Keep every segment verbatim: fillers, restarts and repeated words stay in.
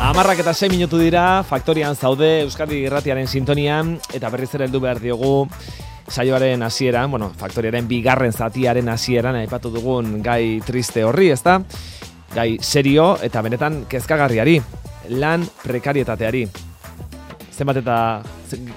Hamarrak eta sei minutu dira, Faktorian zaude, Euskadi Irratiaren sintonian, eta berriz ere heldu behar diogu saioaren hasieran, bueno, Faktoriaren bigarren zatiaren hasieran aipatu dugun gai triste horri, ezta? Gai serio eta benetan kezkagarriari, lan prekarietateari. Zenbat eta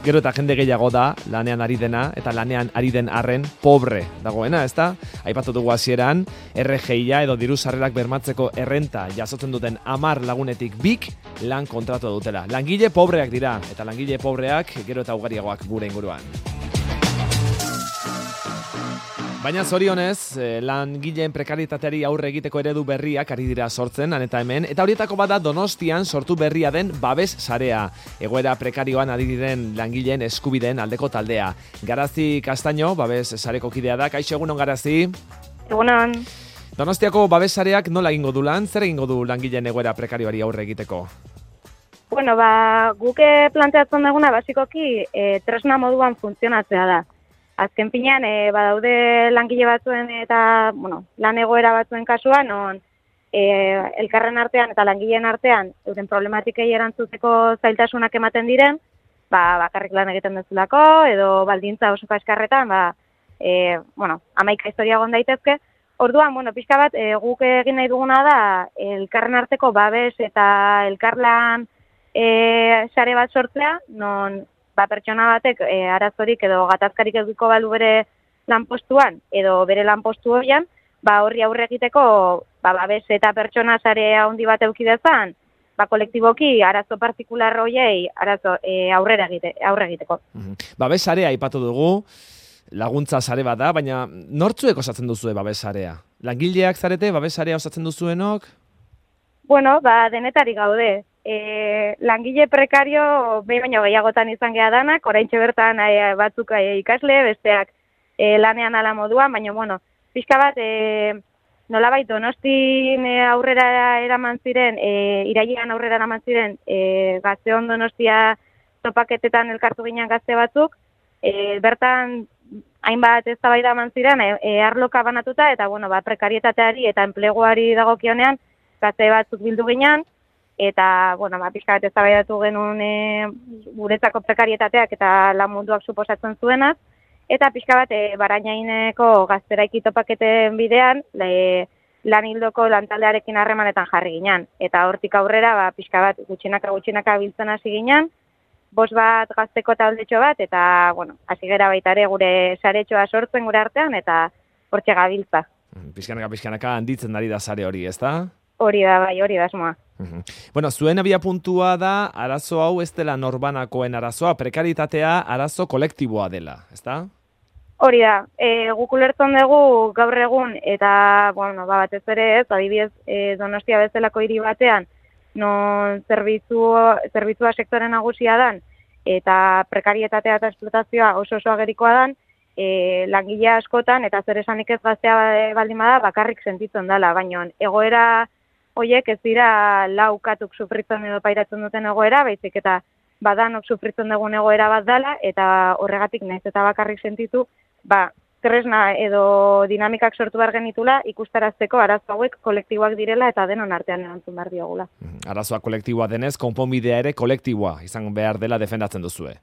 gero eta jende gehiago da lanean ari dena eta lanean ari den arren pobre dagoena, ezta? Aipatu dugu hasieran, R G I-a edo diru sarrerak bermatzeko errenta jasotzen duten hamar lagunetik bik lan kontratua dutela. Langile pobreak dira eta langile pobreak gero eta ugariagoak gure inguruan. Baina zorionez, langileen prekarietateari aurre egiteko eredu berriak ari dira sortzen, han eta hemen, eta horietako bada Donostian sortu berria den babes sarea. Egoera prekarioan ari diren langileen eskubideen aldeko taldea. Garazi Castaño, babes sareko kidea da. Kaixo, egunon Garazi? Egunon. Donostiako babes sareak nola egingo du lan? Zer egingo du langileen egoera prekarioari aurre egiteko? Bueno, ba, guke planteatzen duguna basikoki e, tresna moduan funtzionatzea da. Azken finean, e, badaude langile batzuen eta, bueno, lan egoera batzuen kasuan, non e, elkarren artean eta langileen artean euren problematikei erantzuteko zailtasunak ematen diren, ba, bakarrik lan egiten duzulako, edo baldintza oso kaskarretan, ba, e, bueno, hamaika historia egon daitezke. Orduan, bueno, pixka bat, e, guk egin nahi duguna da, elkarren arteko babes eta elkarlan e, sare bat sortzea, non ba, pertsona batek e, arazorik edo gatazkarik edukiko balu bere lanpostuan edo bere lanpostu horian, ba, horri aurre egiteko ba, babes eta pertsona sare handi bat eduki dezan, ba, kolektiboki arazo partikular horiei arazo e, aurrera egite, aurre egiteko. Mm-hmm. Babes sarea aipatu dugu, laguntza sare bat da, baina nortzuek osatzen duzue babes sarea? Langileak zarete, babes sarea osatzen duzuenok? Bueno, ba, denetarik gaude. E, langile prekario behin baino gehiagotan izan geha danak, oraintxe bertan e, batzuk e, ikasle, besteak e, lanean ala moduan, baina, bueno, pixka bat, e, nolabait Donostin e, aurrera eraman ziren, e, irailean aurrera eraman ziren, e, Gazteon Donostia topaketetan elkartu ginen gazte batzuk, e, bertan hainbat eztabaida eman ziren, e, e, arloka banatuta, eta, bueno, ba, prekarietateari eta enpleguari dagokionean, gazte batzuk bildu ginen, eta, bueno, ba, pixka bat eztabaidatu genuen e, guretzako prekarietateak eta lan munduak suposatzen zuenaz, eta pixka bat e, Barainaineko gazteraiki topaketen bidean le, lan hildoko lantaldearekin harremanetan jarri ginen. Eta hortik aurrera, ba, pixka bat gutxinaka gutxinaka biltzen hasi ginen, bost bat gazteko taldetxo bat, eta, bueno, hasi gera baita ere gure saretxoa sortzen gure artean, eta hortxe gabiltza. Pixkanaka, pixkanaka handitzen dari da sare hori, ezta? Hori da, bai, hori da esmoa. Uhum. Bueno, zuen abia puntua da, arazo hau ez dela norbanakoen arazoa, prekaritatea arazo kolektiboa dela, ezta? Hori da, e, guk ulertzen dugu gaur egun, eta, bueno, ba, batez ere ez, adibidez e, Donostia bezalako hiri batean, non zerbitzu, zerbitzua sektore nagusia dan, eta prekarietatea eta esplotazioa oso oso agerikoa dan, e, langile askotan, eta zer esanik ez gaztea baldin bada, bakarrik sentitzen dela, baina egoera hoiek ez dira laukatuk sufritzen edo pairatzen duten egoera, baizik eta badanok sufritzen dugun egoera bat dela, eta horregatik naiz eta bakarrik sentitu, ba, tresna edo dinamikak sortu behar genitula ikustarazteko arazo hauek kolektiboak direla eta denon artean erantzun behar diogula. Arazoa kolektiboa denez, konponbidea ere kolektiboa izan behar dela defendatzen duzue.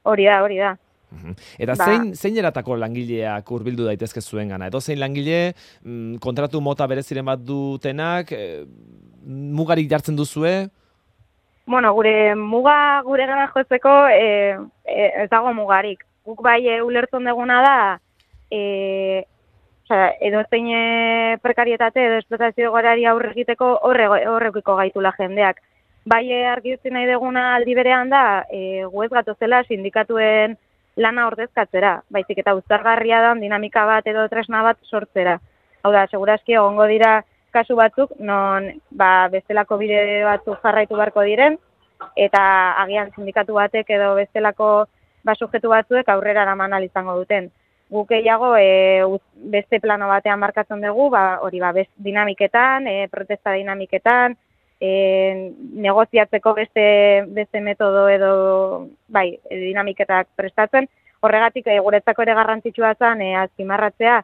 Hori da, hori da. Eta ba, zein, zein eratako langileak hurbildu daitezke zuen gana? Edo zein langile mm, kontratu mota bereziren bat dutenak, e, mugarik jartzen duzue? Bueno, gure muga gure gana jotzeko e, e, ez dago mugarik. Guk bai e, ulertzen duguna da, e, osea, edo zein e, prekarietate edo esplotazio gorari aurre egiteko horrekiko gaitula jendeak. Bai e, argi utzi nahi duguna aldi berean da, e, gu ez gatozela sindikatuen lana ordezkatzera, baizik eta uztargarria da dinamika bat edo tresna bat sortzera. Hau da, segurazki egongo dira kasu batzuk, non ba, bestelako bide batzuk jarraitu beharko diren, eta agian sindikatu batek edo bestelako ba, sujetu batzuek aurrera eraman ahal izango duten. Guk gehiago e, beste plano batean markatzen dugu, ba, hori ba, best dinamiketan, e, protesta dinamiketan, E, negoziatzeko beste, beste metodo edo bai, dinamiketak prestatzen. Horregatik e, guretzako ere garrantzitsua zen e, azpimarratzea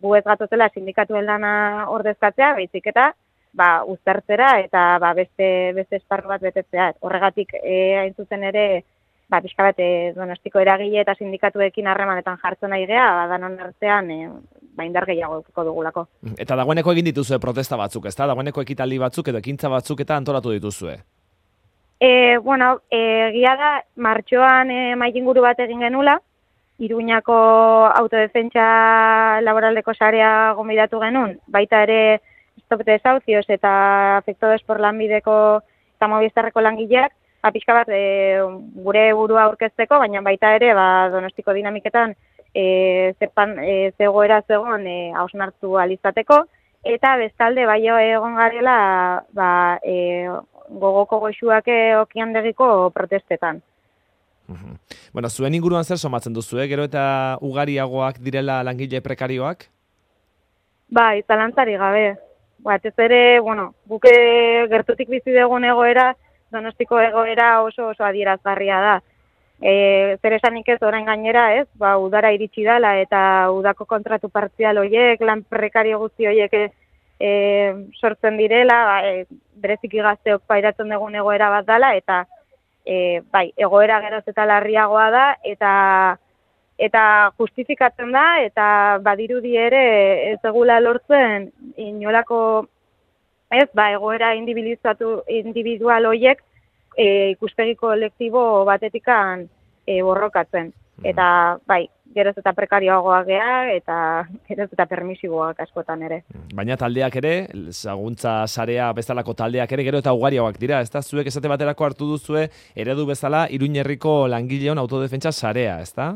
gu ez gatotela sindikatuen lana ordezkatzea, baizik eta ba, uztartzera eta ba, beste, beste esparru bat betetzea. Horregatik, e, hain zuzen ere, ba, pixka bat, e, Donostiko eragile eta sindikatuekin harremanetan jartzen nahi gea, ba, danon artean, e, ba, indar gehiago edukiko dugulako. Eta dagoeneko egin dituzue protesta batzuk, ezta? Dagoeneko ekitaldi batzuk edo ekintza batzuk eta antolatu dituzue. E, bueno, e, gia da, martxoan e, maikinguru bat egin genula, Iruñako autodefentsa laboraldeko sarea gonbidatu genuen, baita ere Stop Desahucios eta Afectados por Lanbideko eta Movistarreko langileak, ba, pixka bat e, gure burua aurkezteko, baina baita ere ba, Donostiko dinamiketan e, zepan, e, zegoera zegoen e, hausnartu alizateko, eta bestalde bai egon garela ba, e, gogoko goxuak okiandegiko protestetan. Uhum. Bueno, zuen inguruan zer somatzen duzu, eh? Gero eta ugariagoak direla langile prekarioak? Bai, zalantzari gabe. Batez ere, bueno, buke gertutik bizi dugun egoera, Donostiko egoera oso oso adierazgarria da. E, zer esanik ez orain gainera, ez? Ba, udara iritsi dela eta udako kontratu partzial horiek, lan prekario guzti horiek e, sortzen direla, ba, e, bereziki gazteok pairatzen dugun egoera bat dela, eta E, bai, egoera geroz eta larriagoa da, eta eta justifikatzen da, eta badirudi ere ez egula lortzen inolako, ez, ba, egoera individualizatu, individual horiek e, ikuspegi kolektibo batetikan e, borrokatzen. Eta, bai, geroz eta prekarioagoak gea, eta geroz eta permisiboak askotan ere. Baina taldeak ere, laguntza sarea bezalako taldeak ere, gero eta ugariagoak dira, ez da? Zuek esate baterako hartu duzue, eredu bezala, Iruñerriko langileon autodefentsa sarea, ez da?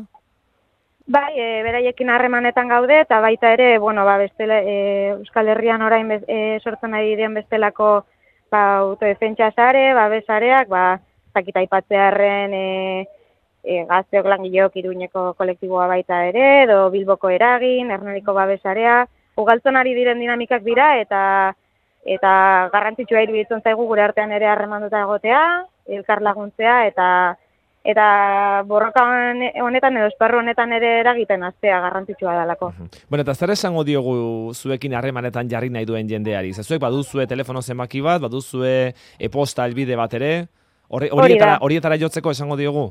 Bai, e, beraiekin harremanetan gaude, eta baita ere, bueno, ba, bestela, e, Euskal Herrian orain bez, e, sortzen ari diren bestelako ba, autodefentsa sare, ba, besareak, ba, zakita aipatzearren, e, E, gazteok langileok Iruñeko kolektiboa baita ere, edo Bilboko eragin, Ernediko babesarea, ugaltzen ari diren dinamikak dira, eta eta garrantzitsua iruditzen zaigu gure artean ere harremanduta egotea, elkar laguntzea, eta eta borroka honetan edo esparru honetan ere eragiten hastea garrantzitsua dalako. Bueno, eta zer esango diogu zuekin harremanetan jarri nahi duen jendeari? Zuek baduzue telefono zenbaki bat, baduzue e-posta helbide bat ere, horietara, horietara jotzeko esango diogu?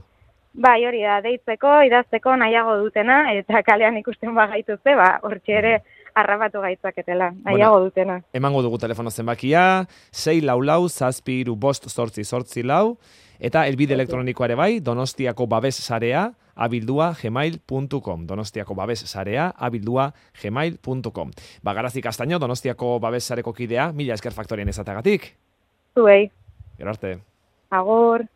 Bai, hori da, deitzeko, idazteko nahiago dutena, eta kalean ikusten bagaituzte, ba, hortxe ere harrapatu gaitzaketela, nahiago bueno, dutena. Emango dugu telefono zenbakia, sei lau lau, zazpi iru bost sortzi sortzi lau, eta elbide elektronikoa ere bai, Donostiako babes sarea, abildua gmail puntu com. Donostiako babes sarea, abildua gmail puntu com. Bagarazi Castaño, Donostiako babes sareko kidea, mila esker faktorien ezatagatik. Zuei. Gero arte. Agur.